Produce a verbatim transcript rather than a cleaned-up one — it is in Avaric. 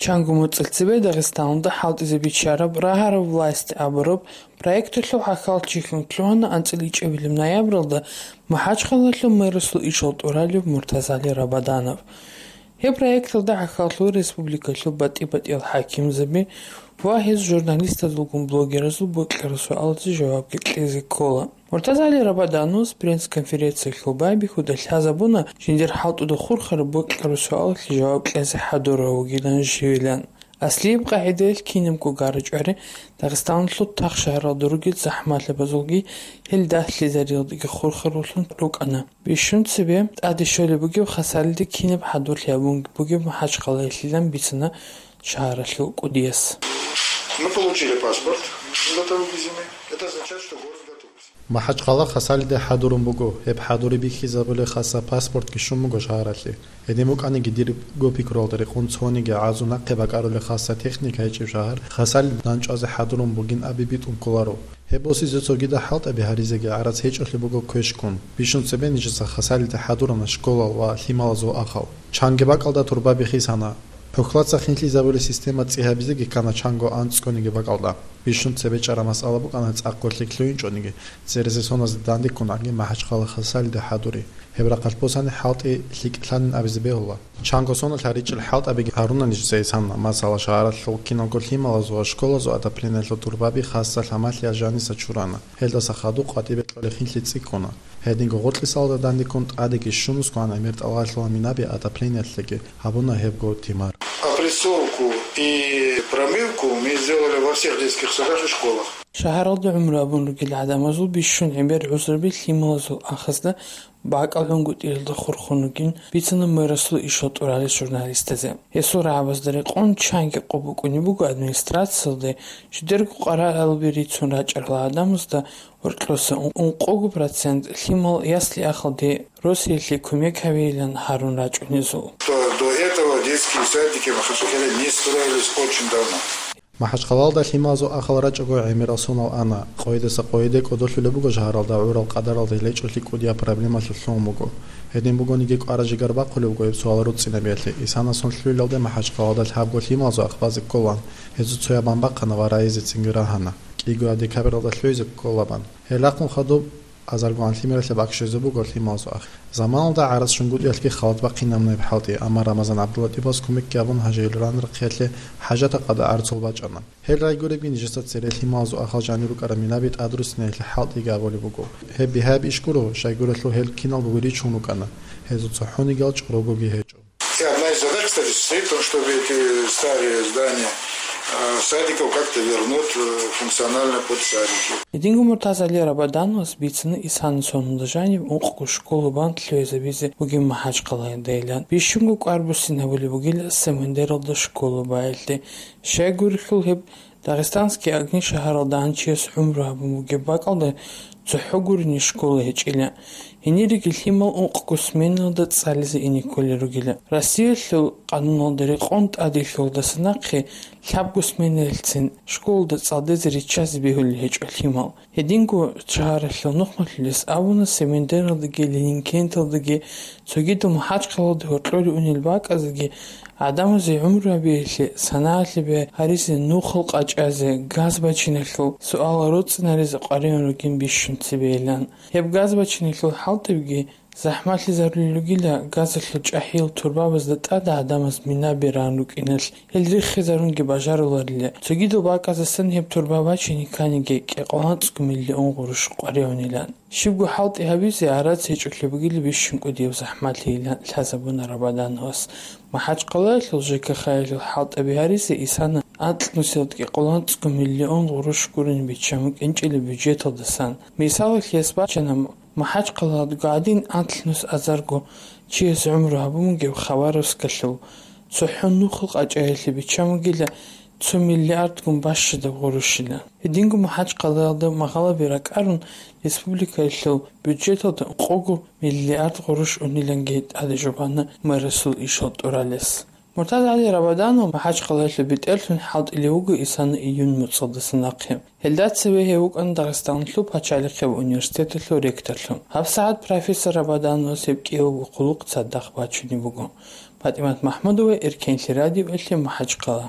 Чанго моцӀил цебе Дагъистаналда хӀалтӀизе биччараб «Рагьараб власть» абураб проекталъул хӀахьалчилъун лъугьана анцӀила ичӀабилеб ноябралда МахӀачхъалалъул мэрасул ишал тӀуралев Муртазали Рабаданов. Гьеб проекталда хӀахьаллъул республикалъул батӀи-батӀиял хӀакимзаби ва гьез журналистазулгун блогеразул бокьараб суалазе жавабги кьезе ккола. Муртазали Рабадановас пресс-конференциялъул байбихьуда лъазабуна жиндир хӀалтӀуда хурхараб бокьараб суалалъе жаваб кьезе хӀадурав вугилан живилан. Аслияб къагӀидаялъ кинабго гарачӀвари Дагъистаналъул тахшагьаралда ругел захӀмалъабазулги гьел дагьлъизариялдаги хурхаруллъун рукӀана. Бищун цебе тӀаде щолеб бугеб Хасалида кинаб хӀадурлъи гьабун бугеб МахӀачхъалаялъилан бицана шагьаралъул кӀудияс. Мы получили паспорт для того визимы. Это означает, что город готов. МахӀачхъала Хасалида хӀадурун буго. Гьеб хӀадури бихьизабулеб хаса паспортги щун буго шагьаралъе. Гьедин букӀаниги, дирго пикруялда рекъон цониги гӀазу нахъе бакӀарулеб хаса техника гьечӀеб шагьар Хасалида дандчӀвазе хӀадурун бугин абе битӀун кколаро. Гьеб босизе цогидал хӀалтӀаби гьаризеги гӀарац гьечӀолъи буго квешккун. Бищун цебе нижеца Хасалида хӀадурана школал ва лъималазул ахал. Чанги бакӀалда турбаби хисана. Пухлаца хинлъизабулеб система цӀи гьабизеги ккана чанго анцӀгониги бакӀалда. Бищун цебе чӀараб масъала букӀана цӀакъго лъикӀлъугьинчӀониги, церезе соназде дандеккун гӀаги МахӀачхъала Хасалида хӀадури. Гьеб рахъалъ босани хӀалтӀи лъикӀлъанин абизе бегьула. Чанго соналъ гьаричӀел хӀалтӀабиги гьаруна нижеца исана, масала, шагьаралъул киналго лъималазул ва школазул отоплениялъул турбаби хаса лъамалъиялъ жаниса чурана. Гьелдаса хадуб къватӀибе кьолеб хинлъи цӀикӀкӀуна. Гьединго гъоркьисалда дандеккун тӀадеги щунусго гӀемер тӀалабалъула минаби отоплениялъеги, гьабуна гьебго тимар. Опрессовку и промывку мы сделали во всех детских садах и школах. Шагьаралда гӀумру гьабун ругел гӀадамазул бищун гӀемер гӀузруби лъималазул ахазда бакӀал гӀунгутӀиялда хурхун ругин бицана мэрасул ишал тӀуралел журналистазе. Гьесул рагӀабазда рекъон чанги къо букӀунеб буго администрациялде жидерго къваригӀелаби рицун рачӀарал гӀадамазда гьоркьоса ункъого процент лъимал ясли-ахалде Россиялъе кумек гьавейилан гьарун рачӀунезул. Что до этого детские садики в Махачкале не строились очень давно. МахӀачхъалалда лъималазул ахал рачӀого гӀемерал сонал ана. Къойидаса къойиде кӀодолъулеб буго шагьаралда гӀурал къадаралда лечӀолъи кӀудияб проблемалъулъ лъугьун буго. Гьедин бугониги, кӀвараб жигар бахъулеб буго гьеб суал руцӀцӀинабиялъе. Исана сон лъугӀиналде МахӀачхъалалда лъабго лъималазул ах базе кколан. Гьезул цояб бан бахъана ва райизецинги рагьана. КӀиго декабралда лъугӀизе кколабан. Гьелахъун хадуб азарго гӀан лъимералъе бакӀ щвезе буго лъималазул ах. Заманалда гӀарац жунгутӀиялъги халат бахъинабуна гьеб хӀалтӀи, амма Рамазан ГӀабдуллатӀибас кумекги гьабун, гьажаил ранрахъиялъе хӀажатаб къадар гӀарцул бачӀана. Гьел райгуребги нижеца цере лъималазул ахал жанир рукӀараб минаби тӀадруссинаялъе хӀалтӀиги абулеб буго. Гьеб бигьаяб иш гуро, щайгурелъул гьел киналгоги ричун рукӀана, гьезул цохӀонигиял чӀорогоги гьечӀо. И одна из задач, кстати, состоит в том, чтобы эти старые здания, э, садиков как-то вернуть, э, функционально под садики. Гьединго Муртазали Рабадановас бицана исана сонда жаниб ункъго школа бан лъугӀизабизе бугеб МахӀачхъалаялдайилан. Бищунго кӀвар буссинабулеб бугила Семендералда школа байилъе. Щайгурелъул гьеб Дагъистанский огни шагьаралда гьанчияс гӀумру гьабун бугеб бакӀалда цохӀо гурони школа гьечӀила. Гьениреги лъимал ункъго сменалда цӀализе ине кколел ругила. Россиялъул къануналда рекъон тӀаделъулдаса нахъе лъабго сменаялъцин школалда цӀалдезе риччазе бегьулел гьечӀо лъимал. Гьединго шагьаралъул нухмалъулес абуна, Семендералдаги Ленинкенталдаги цогидал МахӀачхъалалда гьоркьоре унел бакӀазеги гӀадамазе гӀумру гьабиялъе, санагӀалъи бигьаризе, нухал къачӀазе, газ бачиналъул суал руцӀцӀинаризе къваригӀун ругин бищун цебейилан. Гьеб газ бачиналъул хӀалтӀибги захӀмалъизарулел ругила газалъул чӀахӀиял турбабазда тӀада гӀадамаз минаби ран рукӀиналъ, гьел риххизарунги бажаруларила. Цогидал бакӀаздасан гьеб турба бачине кканиги кӀикъоялда анцӀго миллион гъурущ къваригӀунилан. Щибго хӀалтӀи гьабизе гӀарац гьечӀолъи бугила бищун кӀудияб захӀмалъийилан лъазабуна Рабадановас. МахӀачхъалаялъул ЖКХ-ялъул хӀалтӀаби гьаризе исана анкьнусиялда кӀикъоялда анцӀго миллион гъурущ гурони биччан букӀинчӀила бюджеталдасан. Мисалалъ, гьес бачана, МахӀачхъалаялдаго гӀадин анкьнус азарго чияс гӀумру гьабун бугеб Хабаровскалъул цохӀо нухал къачӀаялъе биччан бугила цо миллиардгун бащадаб гъурущилан. Гьединго МахӀачхъалаялда магъалаби ракӀарун, республикаялъул бюджеталда ункъого миллиард гъурущ униланги тӀаде жубана мэрасул ишал тӀуралес. Муртазали Рабаданов МахӀачхъалаялъул бетӀерлъун хӀалтӀулев вуго исана июнь моцӀалдаса нахъе. Гьелда цеве гьев вукӀана Дагъистаналъул пачалихъеб университеталъул ректорлъун. ГьабсагӀат профессор Рабадановас гьеб кӀиявго хъулухъ цадахъ бачунеб буго. ПатӀимат МахӀмудова, Эркенлъи радиоялъе МахӀачхъала.